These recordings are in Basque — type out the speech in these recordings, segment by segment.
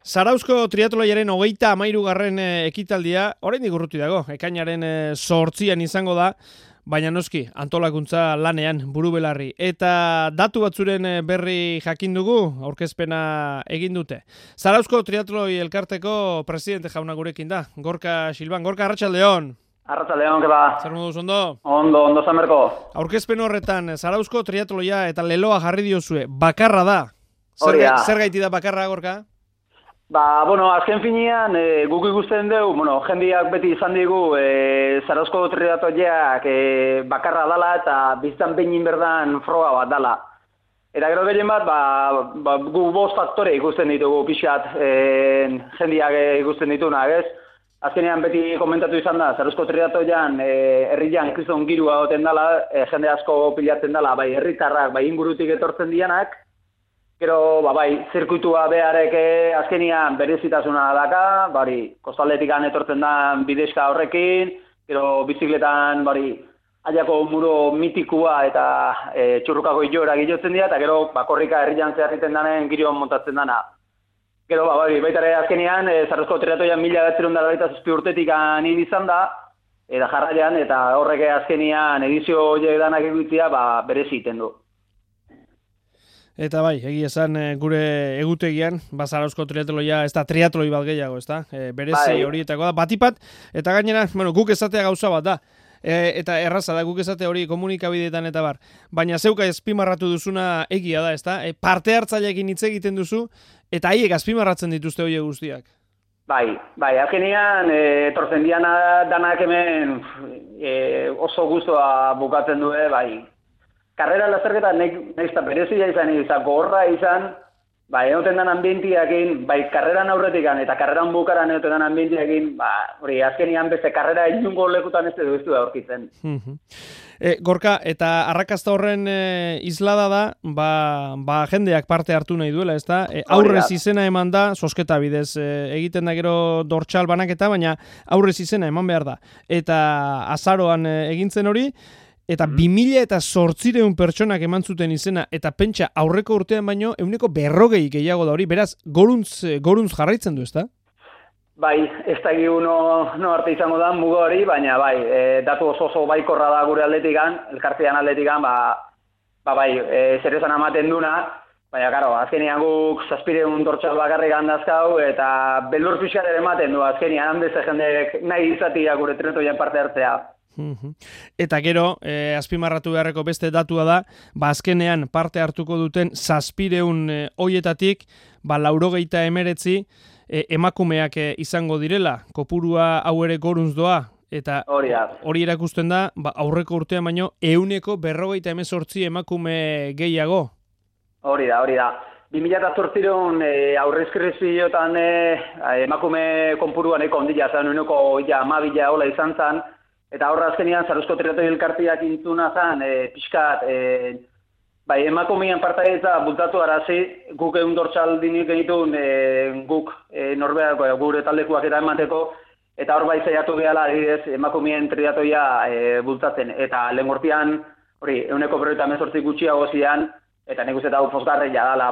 Zarauzko triatloiaren 33. Ekitaldia, oraindik urruti dago, ekainaren 8 izango da, baina noski, antolakuntza lanean, buru belarri. Eta datu batzuren berri jakin dugu, aurkezpena egin dute. Zarauzko triatloi elkarteko presidente jauna gurekin da, Gorka Silban. Gorka, arratsaldeon. Arratsaldeon, ke ba? Zer moduz, ondo? Ondo zamerko. Aurkezpen horretan, Zarauzko triatloia eta leloa jarri diozue, bakarra da. Zer gaiti da bakarra, Gorka? Azken finean, guk ikusten dugu, jendeak beti izan digu, Zarauzko triatloiak bakarra dala eta biztan behin berdan froga bat dala. Eta gero gehien bat, gu 5 faktore ikusten ditugu pixat, jendeak ikusten ditunak, ez? Azkenean beti komentatu izan da, Zarauzko triatloian herrian kriston girua goten dala, jende asko pilatzen dala, bai herritarrak, bai ingurutik etortzen dianak. Gero, zirkuitua beharek azkenian berezitasuna daka, kostaldetikan etortzen da bidezka horrekin, gero bizikletan, aiako muro mitikua eta txurrukako ilora gilotzen dira, eta gero, korrika herrian zeharriten danen giroan montatzen dana. Gero, baitare azkenian, Zarauzko triatloian 1997 urtetik anin izan da, eta jarraian, eta horrek azkenian edizio horiek danak egitea, berezi iten du. Eta egia esan gure egutegian, Zarauzko triatloia, ez da triatloi bat gehiago, ez da? Berezi horietako da, batipat, eta gainera, guk esatea gauza bat da, eta erraza da, guk esate hori komunikabideetan eta bar, baina zeuka azpimarratu duzuna egia da, ez da? Parte hartzaileekin hitz egiten duzu, eta haiek azpimarratzen dituzte horiek guztiak. Azkenean, etortzen danak hemen oso guztua bukatzen du, Karrera lazerketa nahiz eta berezia izan, gogorra izan, egoten den ambientiakin, karreran aurretikan eta karreran bukaran egoten den ambientiakin, hori azkenian beste karrera inungo lekutan ez du da aurkitzen. Gorka, eta arrakasta horren islada da, jendeak parte hartu nahi duela, ez da? Aurrez izena eman da, sosketa bidez, egiten da gero dortsal banaketa, baina aurrez izena eman behar da. Eta azaroan egintzen hori, eta 2008 pertsonak eman zuten izena, eta pentsa aurreko urtean baino, 140 gehiago da hori, beraz, goruntz jarraitzen du, ez da? Ez da egi no arte izango da mugo hori, baina datu oso baikorra da gure atletikan, elkartean atletikan, zer esan amaten duna, baina, azkenean guk 700 dortsal bakarrik handazkau, eta beldur pixkat ere ematen du, azkenean handez jendek nahi izatia gure triatloian parte hartzea. Eta gero, azpimarratu beharreko beste datua da, azkenean parte hartuko duten 700 hoietatik, 89 emakumeak izango direla, kopurua hau ere goruntz doa, eta hori erakusten da, aurreko urtean baino, 158 emakume gehiago. Hori da. 2008 aurrezkreziotan emakume konpuruan eko ondila, zan uneko 12 hola izan zan, eta horra azkenean Zarauzko triatloi elkarteak intzuna zen, pixkat, emakumean partaidetza bultatu arazi, guk egun dortsal dinik egitun, guk norbeak gure taldekuak eta emateko, eta hor zaiatu gehala adibidez emakumeen triatloia bultatzen, eta lehen gortian, hori, 158 gutxiago zian, eta nik uste eta pozgarria dala,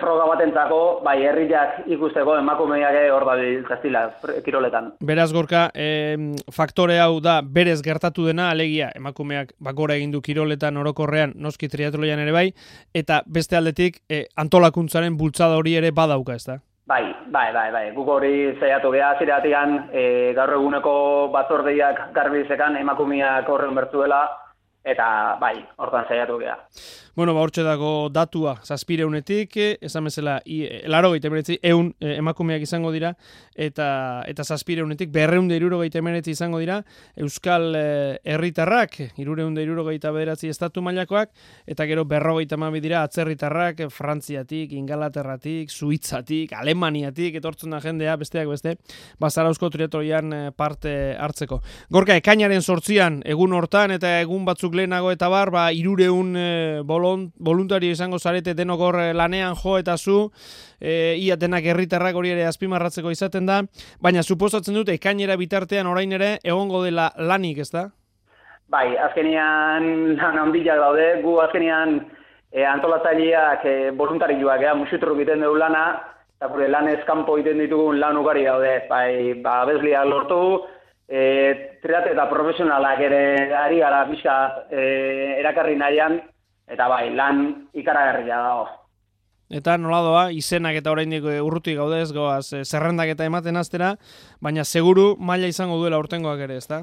froga batentzako, herriak ikusteko emakumeak hor da biltzaztila kiroletan. Beraz, Gorka, faktore hau da berez gertatu dena, alegia emakumeak gora egin du kiroletan orokorrean, noski triatloian ere bai, eta beste aldetik antolakuntzaren bultzada hori ere badauka, ez da? Guk hori zaiatu geha ziratigan, gaur eguneko batzordeiak garbizekan emakumeak horren bertuela, eta hortan zaiatu geha. Hortxe dago datua 700-etik, esan bezala, 100 emakumeak izango dira, eta 700-etik 269 izango dira, Euskal herritarrak, 369 estatu mailakoak, eta gero 52 dira atzerritarrak, Frantziatik, Ingalaterratik, Suitzatik, Alemaniatik, etortzen da jendea, besteak beste, Zarauzko triatloian parte hartzeko. Gorka, ekainaren 8 egun hortan, eta egun batzuk lehenago eta 300 voluntario izango zarete denok hor lanean jo eta zu, ia denak herritarrak hori ere azpimarratzeko izaten da, baina suposatzen dute ekainera bitartean orain ere egongo dela lanik, ez da? Azkenean lan handiak daude, gu azkenean antolatzaileak voluntarioak, musutru egiten dugu lana, eta gure lanez kanpo egiten ditugun lan ugari daude, bai, abesliak lortu, triate eta profesionalak ere ari gara pixka erakarri nahian, eta bai, lan ikaragarria dago. Eta nola doa, izenak eta oraindik urruti gaudez, goaz, zerrendak eta ematen aztera, baina seguru maila izango duela urtengoak ere, ezta?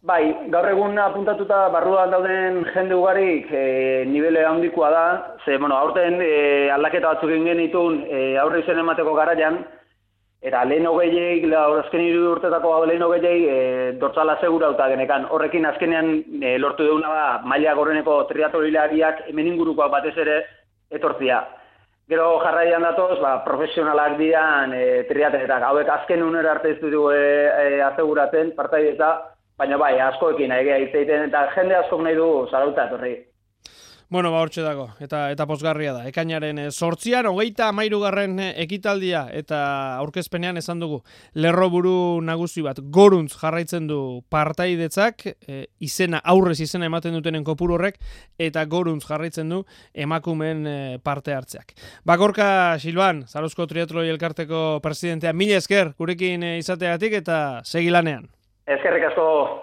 Bai, gaur egun apuntatuta barruan dauden jende ugarik nibele handikoa da, ze, aurten aldaketa batzuk egin genitun aurre izen emateko garaian, eta lehen hogeiek, azken 3 urtetako lehen hogeiek dortzala segurauta genekan. Horrekin azkenean lortu deuna da maila goreneko triatlonilariak hemen ingurukoak batez ere etortzia. Gero jarraian datoz, profesionalak dian triatletak. Hauek azken unera arte ez dugu aseguratzen partaidetza, baina bai, askoekin egea hitz egiten eta jende askok nahi du zarauta etorri. Bueno, hortxe dago, eta pozgarria da. Ekainaren 8an, 33. ekitaldia, eta aurkezpenean esan dugu, lerroburu nagusi bat, Goruntz jarraitzen du partaidetzak, izena, aurrez izena ematen dutenen kopuru horrek, eta Goruntz jarraitzen du emakumen parte hartzeak. Gorka Silban, Zarautzko Triatloi Elkarteko presidentea, mila esker, gurekin izateagatik eta segilanean. Eskerrik asko.